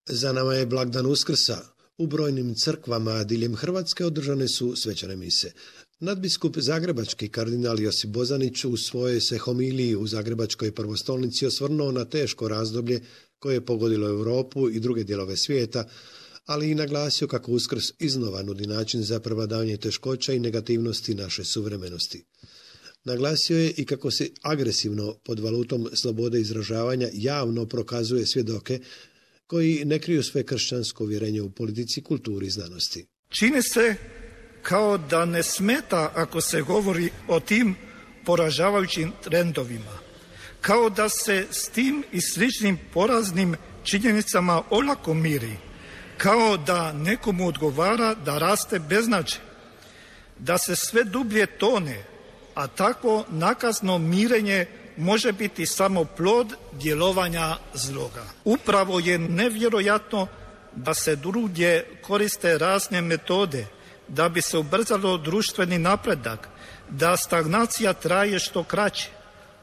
Za nama je blagdan Uskrsa. U brojnim crkvama diljem Hrvatske održane su svečane mise. Nadbiskup zagrebački kardinal Josip Bozanić u svojoj se homiliji u Zagrebačkoj prvostolnici osvrnuo na teško razdoblje koje je pogodilo Europu i druge dijelove svijeta, ali i naglasio kako Uskrs iznova nudi način za prevladavanje teškoća i negativnosti naše suvremenosti. Naglasio je i kako se agresivno pod valutom slobode izražavanja javno prokazuje svjedoke koji ne kriju sve kršćansko uvjerenje u politici, kulturi i znanosti. Čini se kao da ne smeta ako se govori o tim poražavajućim trendovima, kao da se s tim i sličnim poraznim činjenicama olako miri, kao da nekomu odgovara da raste beznađe, da se sve dublje tone, a takvo nakazno mirenje može biti samo plod djelovanja zloga. Upravo je nevjerojatno da se drugdje koriste razne metode da bi se ubrzalo društveni napredak, da stagnacija traje što kraće,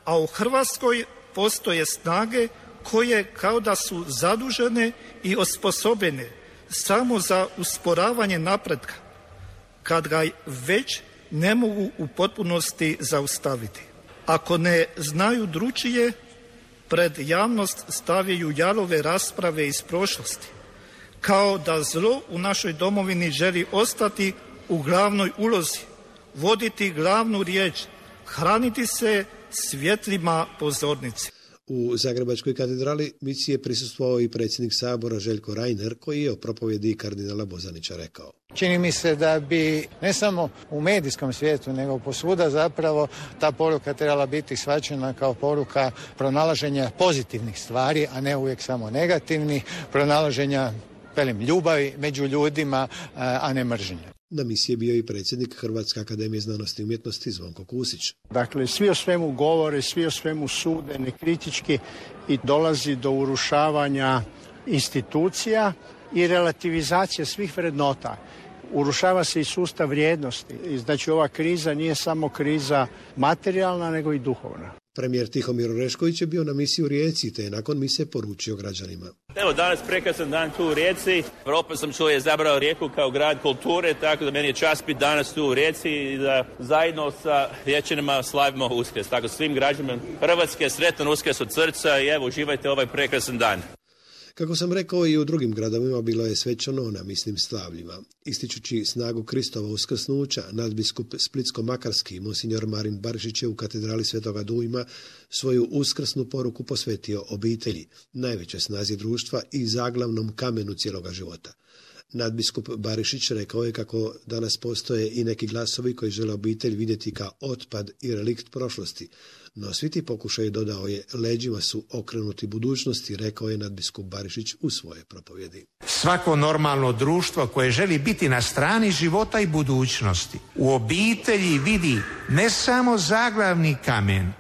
a u Hrvatskoj postoje snage koje kao da su zadužene i osposobljene samo za usporavanje napretka, kad ga već ne mogu u potpunosti zaustaviti. Ako ne znaju drukčije, pred javnost stavljaju jalove rasprave iz prošlosti, kao da zlo u našoj domovini želi ostati u glavnoj ulozi, voditi glavnu riječ, hraniti se svjetlima pozornice. U Zagrebačkoj katedrali misiji je prisustvovao i predsjednik Sabora Željko Reiner, koji je o propovjedi kardinala Bozanića rekao. Čini mi se da bi ne samo u medijskom svijetu, nego posvuda zapravo ta poruka trebala biti shvaćena kao poruka pronalaženja pozitivnih stvari, a ne uvijek samo negativnih, pronalaženja ljubavi među ljudima, a ne mržnje. Na misiji je bio i predsjednik Hrvatske akademije znanosti i umjetnosti Zvonko Kusić. Dakle, svi o svemu govore, svi o svemu sude nekritički i dolazi do urušavanja institucija i relativizacije svih vrednota. Urušava se i sustav vrijednosti. Znači, ova kriza nije samo kriza materijalna, nego i duhovna. Premijer Tihomir Orešković je bio na misiji u Rijeci, te je nakon mise poručio građanima. Evo, danas prekrasan dan tu u Rijeci. Europa sam čuo je izabrao Rijeku kao grad kulture, tako da meni je čast biti danas tu u Rijeci i da zajedno sa Riječanima slavimo Uskrs. Tako svim građanima Hrvatske sretan Uskrs od srca i evo, uživajte ovaj prekrasan dan. Kako sam rekao, i u drugim gradovima bilo je svečano na misnim slavljima. Ističući snagu Kristova uskrsnuća, nadbiskup Splitsko-makarski monsinjor Marin Barišić je u katedrali Svetoga Dujma svoju uskrsnu poruku posvetio obitelji, najveće snazi društva i zaglavnom kamenu cijeloga života. Nadbiskup Barišić rekao je kako danas postoje i neki glasovi koji žele obitelj vidjeti kao otpad i relikt prošlosti, no svi ti pokušaji, dodao je, leđima su okrenuti budućnosti, rekao je nadbiskup Barišić u svoje propovjedi. Svako normalno društvo koje želi biti na strani života i budućnosti u obitelji vidi ne samo zaglavni kamen,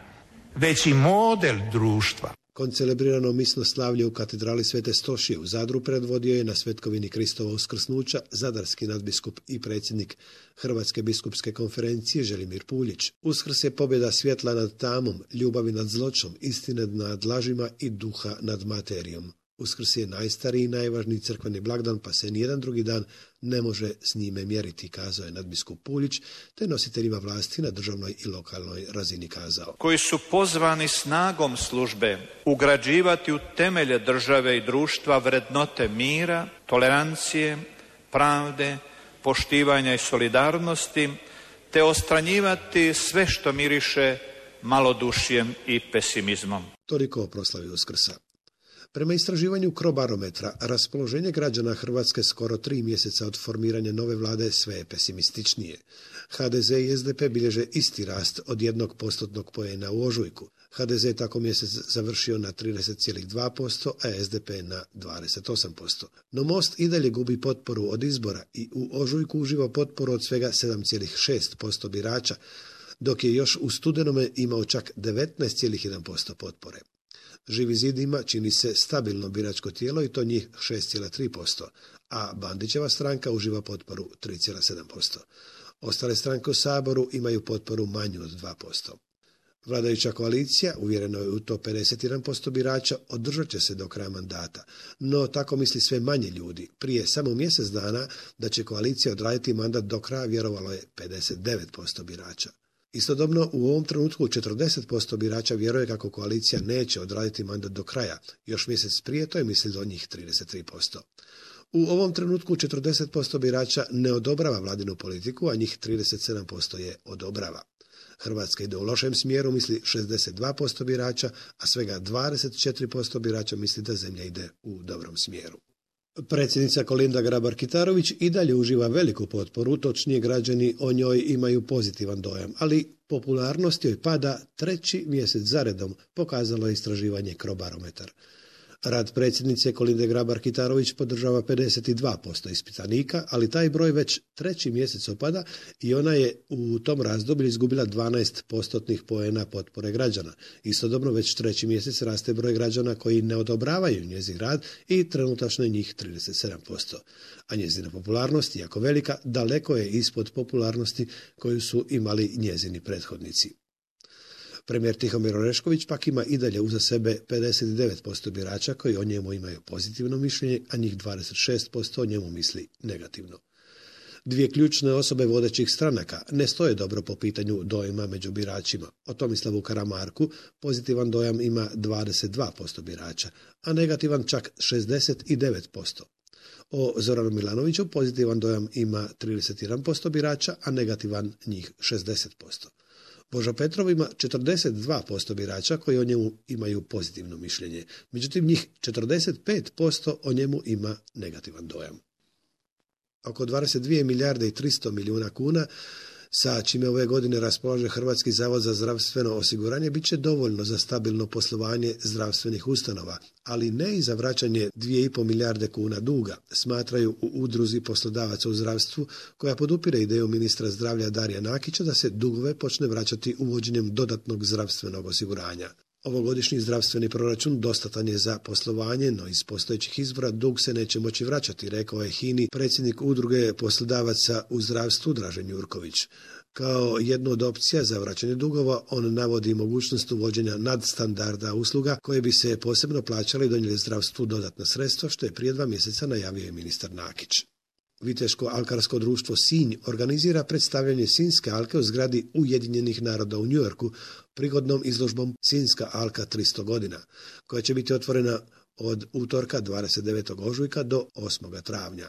već i model društva. Koncelebrirano misno slavlje u katedrali Svete Stošije u Zadru predvodio je na svetkovini Kristova uskrsnuća zadarski nadbiskup i predsjednik Hrvatske biskupske konferencije Želimir Puljić. Uskrs je pobjeda svjetla nad tamom, ljubavi nad zločom, istine nad lažima i duha nad materijom. Uskrs je najstariji i najvažniji crkveni blagdan, pa se nijedan drugi dan ne može s njime mjeriti, kazao je nadbiskup Puljić, te nositeljima vlasti na državnoj i lokalnoj razini kazao. Koji su pozvani snagom službe ugrađivati u temelje države i društva vrednote mira, tolerancije, pravde, poštivanja i solidarnosti, te ostranjivati sve što miriše malodušjem i pesimizmom. Toliko o proslavi Uskrsa. Prema istraživanju Crobarometra, raspoloženje građana Hrvatske skoro 3 mjeseca od formiranja nove vlade sve je pesimističnije. HDZ i SDP bilježe isti rast od 1% poena u ožujku. HDZ je tako mjesec završio na 30,2%, a SDP na 28%. No Most i dalje gubi potporu od izbora i u ožujku uživa potporu od svega 7,6% birača, dok je još u studenome imao čak 19,1% potpore. Živi zid ima, čini se, stabilno biračko tijelo i to njih 6,3%, a Bandićeva stranka uživa potporu 3,7%. Ostale stranke u Saboru imaju potporu manju od 2%. Vladajuća koalicija, uvjereno je u to 51% birača, održat će se do kraja mandata. No tako misli sve manje ljudi. Prije samo mjesec dana da će koalicija odraditi mandat do kraja vjerovalo je 59% birača. Istodobno u ovom trenutku 40% birača vjeruje kako koalicija neće odraditi mandat do kraja. Još mjesec prije to je mislilo njih 33%. U ovom trenutku 40% birača ne odobrava vladinu politiku, a njih 37% je odobrava. Hrvatska ide u lošem smjeru, misli 62% birača, a svega 24% birača misli da zemlja ide u dobrom smjeru. Predsjednica Kolinda Grabar-Kitarović i dalje uživa veliku potporu, točnije građani o njoj imaju pozitivan dojam, ali popularnost joj pada 3. mjesec zaredom, pokazalo je istraživanje Crobarometar. Rad predsjednice Kolinde Grabar-Kitarović podržava 52% ispitanika, ali taj broj već 3. mjesec opada i ona je u tom razdoblju izgubila 12% poena potpore građana. Istodobno već 3. mjesec raste broj građana koji ne odobravaju njezin rad i trenutačno je njih 37%. A njezina popularnost, iako velika, daleko je ispod popularnosti koju su imali njezini prethodnici. Premijer Tihomir Orešković pak ima i dalje uza sebe 59% birača koji o njemu imaju pozitivno mišljenje, a njih 26% o njemu misli negativno. Dvije ključne osobe vodećih stranaka ne stoje dobro po pitanju dojma među biračima. O Tomislavu Karamarku pozitivan dojam ima 22% birača, a negativan čak 69%. O Zoranu Milanoviću pozitivan dojam ima 31% birača, a negativan njih 60%. Božo Petrov ima 42% birača koji o njemu imaju pozitivno mišljenje. Međutim, njih 45% o njemu ima negativan dojam. Oko 22 milijarde i 300 milijuna kuna, sa čime ove godine raspolaže Hrvatski zavod za zdravstveno osiguranje, bit će dovoljno za stabilno poslovanje zdravstvenih ustanova, ali ne i za vraćanje 2,5 milijarde kuna duga, smatraju u udruzi poslodavaca u zdravstvu, koja podupire ideju ministra zdravlja Darija Nakića da se dugove počne vraćati uvođenjem dodatnog zdravstvenog osiguranja. Ovogodišnji zdravstveni proračun dostatan je za poslovanje, no iz postojećih izvora dug se neće moći vraćati, rekao je HINA-i predsjednik udruge poslodavaca u zdravstvu Dražen Jurković. Kao jednu od opcija za vraćanje dugova on navodi mogućnost uvođenja nadstandarda usluga koje bi se posebno plaćale i donijeli zdravstvu dodatna sredstva, što je prije 2 mjeseca najavio je ministar Nakić. Viteško alkarsko društvo Sinj organizira predstavljanje Sinjske alke u zgradi Ujedinjenih naroda u Njujorku prigodnom izložbom Sinjska alka 300 godina, koja će biti otvorena od utorka 29. ožujka do 8. travnja.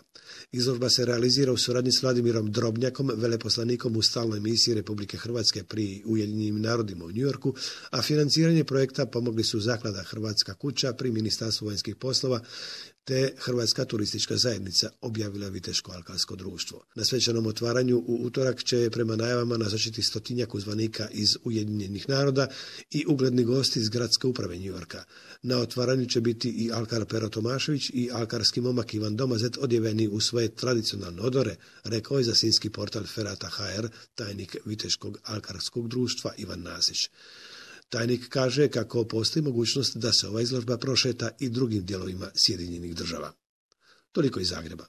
Izložba se realizira u suradnji s Vladimirom Drobnjakom, veleposlanikom u stalnoj misiji Republike Hrvatske pri Ujedinjenim narodima u Njujorku, a financiranje projekta pomogli su Zaklada Hrvatska kuća pri Ministarstvu vanjskih poslova te Hrvatska turistička zajednica, objavila Viteško alkarsko društvo. Na svečanom otvaranju u utorak će prema najavama nazočiti 100-tinjak uzvanika iz Ujedinjenih naroda i ugledni gosti iz gradske uprave Njujorka. Na otvaranju će biti i alkar Pero Tomašević i alkarski momak Ivan Domazet odjeveni u svoje tradicionalne odore, rekao je za sinjski portal Ferata.hr tajnik Viteškog alkarskog društva Ivan Nasić. Tajnik kaže kako postoji mogućnost da se ova izložba prošeta i drugim dijelovima Sjedinjenih Država. Toliko iz Zagreba.